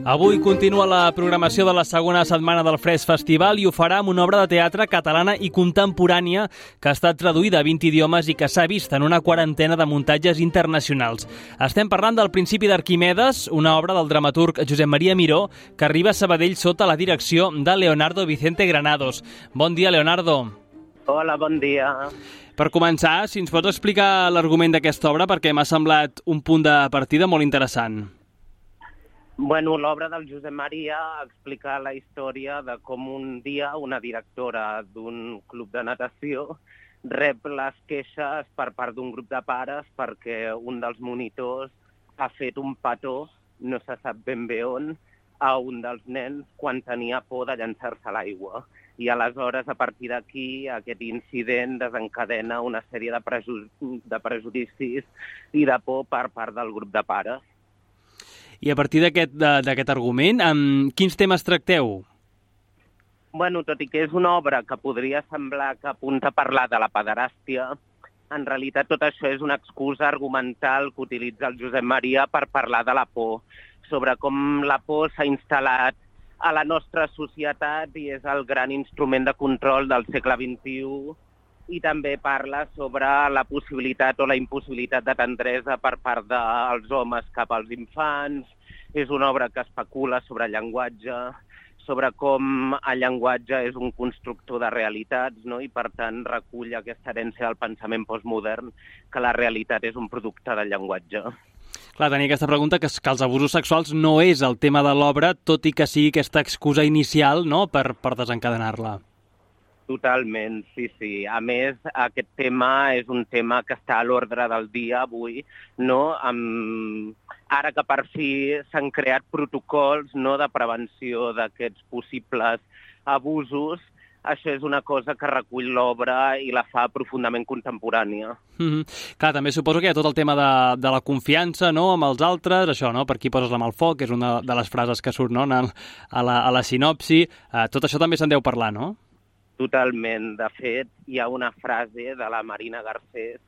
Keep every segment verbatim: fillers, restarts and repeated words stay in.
Avui continua la programació de la segona setmana del Fresc Festival i ho farà amb una obra de teatre catalana i contemporània que ha estat traduïda a vint idiomes i que s'ha vist en una quarantena de muntatges internacionals. Estem parlant del Principi d'Arquimedes, una obra del dramaturg Josep Maria Miró que arriba a Sabadell sota la direcció de Leonardo Vicente Granados. Bon dia, Leonardo. Hola, bon dia. Per començar, si ens pots explicar l'argument d'aquesta obra, perquè m'ha semblat un punt de partida molt interessant. Bueno, l'obra del Josep Maria explica la història de com un dia una directora d'un club de natació rep les queixes per part d'un grup de pares perquè un dels monitors ha fet un petó, no se sap ben bé on, a un dels nens quan tenia por de llançar-se a l'aigua. I aleshores, a partir d'aquí, aquest incident desencadena una sèrie de, preju de prejudicis i de por per part del grup de pares. I a partir d'aquest argument, amb quins temes tracteu? Bueno, tot i que és una obra que podria semblar que apunta a parlar de la pederàstia, en realitat tot això és una excusa argumental que utilitza el Josep Maria per parlar de la por, sobre com la por s'ha instal·lat a la nostra societat i és el gran instrument de control del segle vint-i-u, i també parla sobre la possibilitat o la impossibilitat de tendresa per part dels homes cap als infants. És una obra que especula sobre el llenguatge, sobre com el llenguatge és un constructor de realitats, no? I per tant recull aquesta herència del pensament postmodern, que la realitat és un producte del llenguatge. Clar, tenia aquesta pregunta, que, que els abusos sexuals no és el tema de l'obra, tot i que sigui aquesta excusa inicial, no?, per, per desencadenar-la. Totalment, sí, sí. A més, aquest tema és un tema que està a l'ordre del dia avui, no? Amb... Ara que per fi s'han creat protocols, no?, de prevenció d'aquests possibles abusos, això és una cosa que recull l'obra i la fa profundament contemporània. Mm-hmm. Clar, també suposo que hi ha tot el tema de, de la confiança, no?, amb els altres, això, no?, per qui poses la mà al foc, que és una de les frases que surt, no?, a la, a la sinopsi. Uh, tot això també se'n deu parlar, no? Totalment. De fet, hi ha una frase de la Marina Garcés,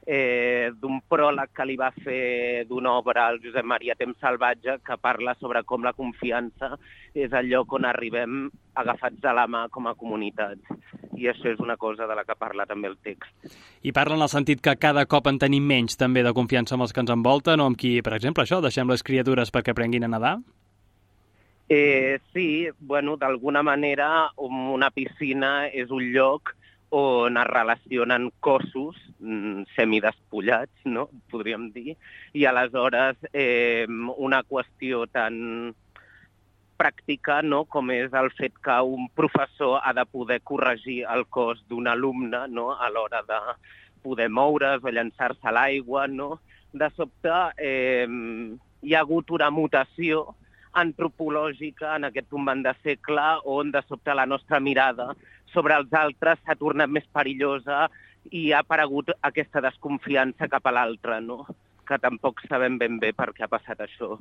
eh, d'un pròleg que li va fer d'una obra al Josep Maria Temps salvatge, que parla sobre com la confiança és el lloc on arribem agafats de la mà com a comunitat. I això és una cosa de la que parla també el text. I parla en el sentit que cada cop en tenim menys també de confiança amb els que ens envolten, o amb qui, per exemple, això, deixem les criatures perquè aprenguin a nedar? Eh, sí, bueno, d'alguna manera una piscina és un lloc on es relacionen cossos mm, semidespullats, no?, podríem dir, i aleshores eh, una qüestió tan pràctica, no?, com és el fet que un professor ha de poder corregir el cos d'un alumne, no?, a l'hora de poder moure's o llançar-se a l'aigua, no? De sobte eh, hi ha hagut una mutació antropològica en aquest tombant de segle on de sobte la nostra mirada sobre els altres s'ha tornat més perillosa i ha aparegut aquesta desconfiança cap a l'altre, no? Que tampoc sabem ben bé per què ha passat això.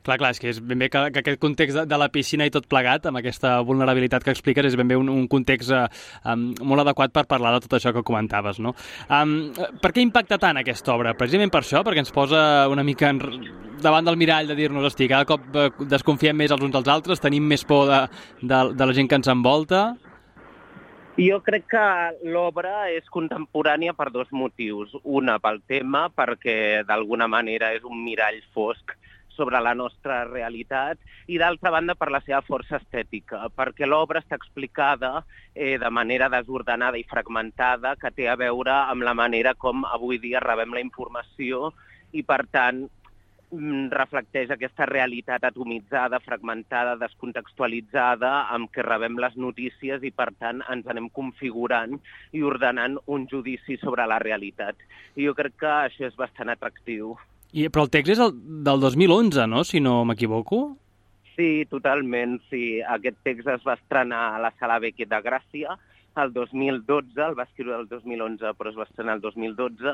Clar, clar, és que és ben bé que, que aquest context de, de la piscina i tot plegat, amb aquesta vulnerabilitat que expliques, és ben bé un, un context eh, um, molt adequat per parlar de tot això que comentaves, no? Um, per què impacta tant aquesta obra? Precisament per això, perquè ens posa una mica en, davant del mirall de dir-nos, hosti, cada cop eh, desconfiem més els uns dels altres, tenim més por de, de, de la gent que ens envolta. Jo crec que l'obra és contemporània per dos motius. Una, pel tema, perquè d'alguna manera és un mirall fosc sobre la nostra realitat, i d'altra banda per la seva força estètica, perquè l'obra està explicada eh, de manera desordenada i fragmentada, que té a veure amb la manera com avui dia rebem la informació i, per tant, reflecteix aquesta realitat atomitzada, fragmentada, descontextualitzada, amb què rebem les notícies i, per tant, ens anem configurant i ordenant un judici sobre la realitat. I jo crec que això és bastant atractiu. I, però el text és el, del dos mil onze, no?, si no m'equivoco? Sí, totalment, sí. Aquest text es va estrenar a la Sala Beckett de Gràcia el dos mil dotze, el va escriure el dos mil onze, però es va estrenar el dos mil dotze,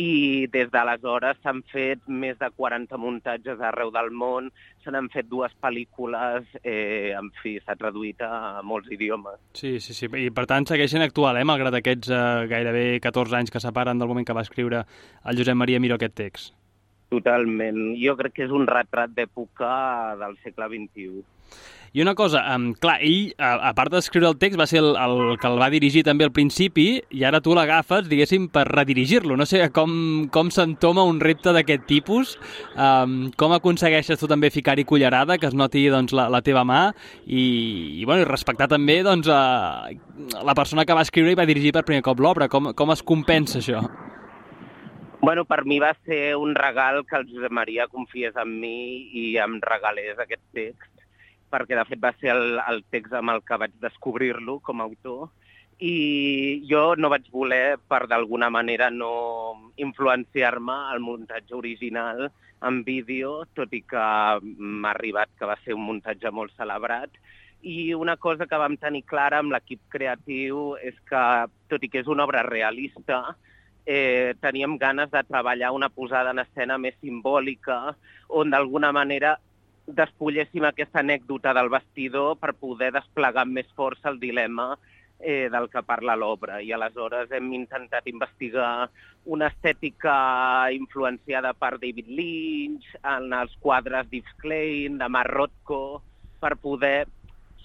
i des d'aleshores s'han fet més de quaranta muntatges arreu del món, se n'han fet dues pel·lícules, eh, en fi, s'ha traduït a molts idiomes. Sí, sí, sí, i per tant segueixen actual, eh, malgrat aquests eh, gairebé catorze anys que separen del moment que va escriure el Josep Maria Miró aquest text. Totalment. Jo crec que és un retrat d'època del segle vint-i-u. I una cosa, um, clar, ell, a, a part d'escriure el text, va ser el, el que el va dirigir també al principi, i ara tu l'agafes, diguéssim, per redirigir-lo. No sé com, com s'entoma un repte d'aquest tipus, um, com aconsegueixes tu també ficar-hi cullerada, que es noti doncs, la, la teva mà, i, i, bueno, i respectar també doncs, a, la persona que va escriure i va dirigir per primer cop l'obra. Com, com es compensa això? Bueno, per mi va ser un regal que el Josep Maria confiés en mi i em regalés aquest text, perquè de fet va ser el, el text amb el que vaig descobrir-lo com a autor, i jo no vaig voler, per d'alguna manera, no influenciar-me al muntatge original en vídeo, tot i que m'ha arribat que va ser un muntatge molt celebrat. I una cosa que vam tenir clara amb l'equip creatiu és que, tot i que és una obra realista, eh, teníem ganes de treballar una posada en escena més simbòlica, on d'alguna manera despulléssim aquesta anècdota del vestidor per poder desplegar amb més força el dilema eh, del que parla l'obra. I aleshores hem intentat investigar una estètica influenciada per David Lynch, en els quadres d'Yves Klein, de Mark Rothko, per poder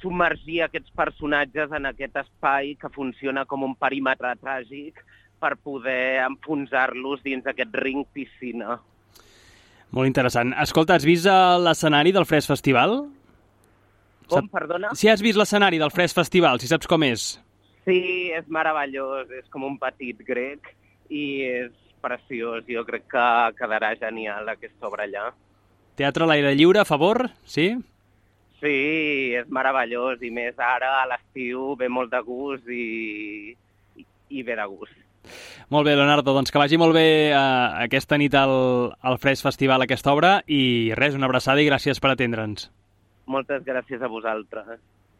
submergir aquests personatges en aquest espai que funciona com un perímetre tràgic per poder enfonsar-los dins aquest ring piscina. Molt interessant. Escolta, has vist l'escenari del Fresc Festival? Com, Sap... perdona? Si has vist l'escenari del Fresc Festival, si saps com és. Sí, és meravellós, és com un petit grec i és preciós. Jo crec que quedarà genial aquesta obra allà. Teatre a l'aire lliure, a favor? Sí? Sí, és meravellós i més ara a l'estiu ve molt de gust i, i, i ve de gust. Molt bé, Leonardo, doncs que vagi molt bé eh, aquesta nit al, al Fresc Festival aquesta obra i res, una abraçada i gràcies per atendre'ns. Moltes gràcies a vosaltres.